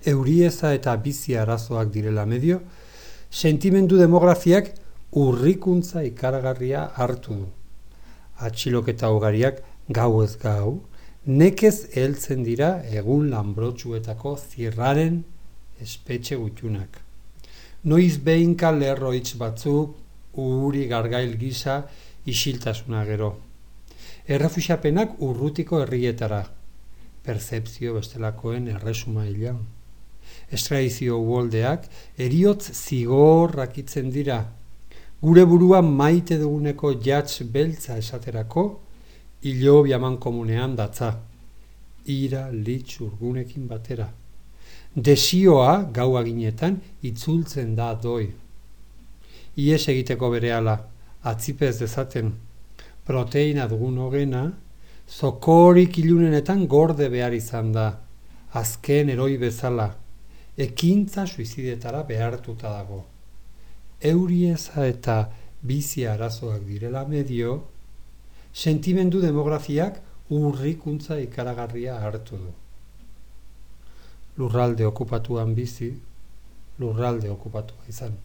eurieza eta bizi arazoak direla medio, sentimendu demografiak urrikuntza ikaragarria hartu du. Atxiloketa ugariak gau ez gau, nekez heltzen dira egun lanbrotsuetako zirraren espetxe gutxunak. Noiz behinka lerroitz batzuk uri gargail gisa isiltasuna gero. Errefuxiapenak urrutiko herrietara, pertzepzio bestelakoen erresumailan. Estradizio uholdeak heriotz zigorrakitzen dira. Gure burua maite duguneko jatz beltza esaterako, hilobi amankomunean datza. Ira litz urgunekin batera. Desioa gau aginetan itzultzen da doi. Ies egiteko berehala, atzipez dezaten, proteina dugun hogena, zokorik ilunenetan gorde behar izan da, azken eroi bezala, ekintza suizidetara behartuta dago. Eurieza eta bizi arazoak direla medio, sentimendu demografiak urrikuntza ikaragarria hartu du. Lurralde okupatuan bizi, lurralde okupatua izan.